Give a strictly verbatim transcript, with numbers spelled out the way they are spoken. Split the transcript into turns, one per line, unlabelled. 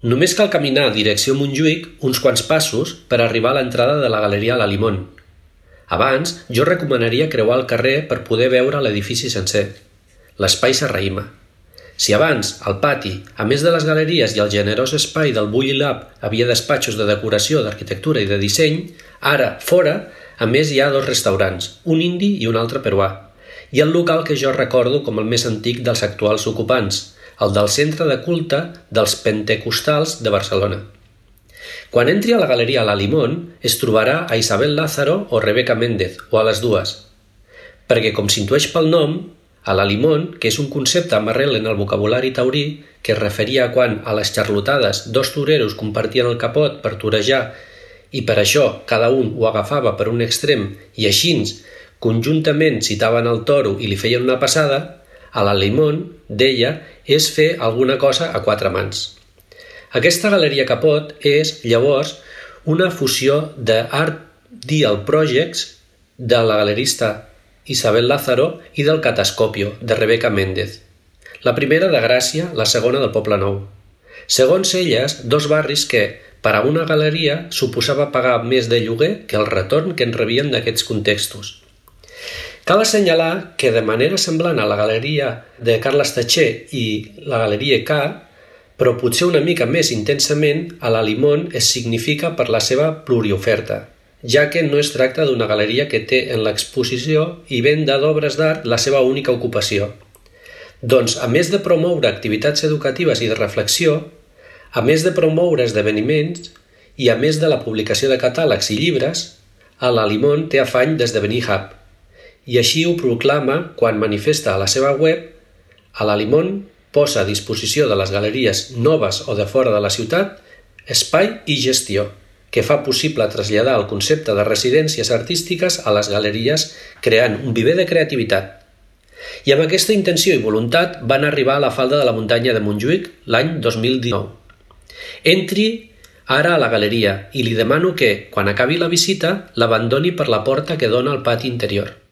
Només cal caminar direcció Montjuïc uns quants passos per arribar a l'entrada de la galeria La Limón. Abans, jo recomanaria creuar el carrer per poder veure l'edifici sencer. L'espai s'arraïma. Si abans, al pati, a més de les galeries i el generós espai del Bulli Lab havia despatxos de decoració, d'arquitectura i de disseny, ara, fora, a més hi ha dos restaurants, un indi i un altre peruà, i el local que jo recordo com el més antic dels actuals ocupants, el del centre de culte dels pentecostals de Barcelona. Quan entri a la galeria La Limón, es trobarà a Isabel Lázaro o Rebeca Méndez, o a les dues, perquè, com s'intueix pel nom, a La Limón, que és un concepte amb arrel en el vocabulari taurí que es referia a quan, a les xarlotades, dos toreros compartien el capot per torejar i per això cada un ho agafava per un extrem i així, conjuntament citaven el toro i li feien una passada, a La Limón, deia, és fer alguna cosa a quatre mans. Aquesta galeria capot és, llavors, una fusió d'Art Dial Projects de la galerista Isabel Lázaro i del Catascopio, de Rebeca Méndez. La primera de Gràcia, la segona del Poble Nou. Segons elles, dos barris que, per a una galeria, suposava pagar més de lloguer que el retorn que en rebien d'aquests contextos. Cal assenyalar que, de manera semblant a la galeria de Carles Tatxer i la galeria K, però potser una mica més intensament, a La Limón es significa per la seva plurioferta, ja que no es tracta d'una galeria que té en l'exposició i venda d'obres d'art la seva única ocupació. Doncs, a més de promoure activitats educatives i de reflexió, a més de promoure esdeveniments i a més de la publicació de catàlegs i llibres, a La Limón té afany d'esdevenir hub, i així ho proclama quan manifesta a la seva web a La Limón posa a disposició de les galeries noves o de fora de la ciutat espai i gestió, que fa possible traslladar el concepte de residències artístiques a les galeries creant un viver de creativitat. I amb aquesta intenció i voluntat van arribar a la falda de la muntanya de Montjuïc l'any dos mil dinou. Entri ara a la galeria i li demano que, quan acabi la visita, l'abandoni per la porta que dona al pati interior.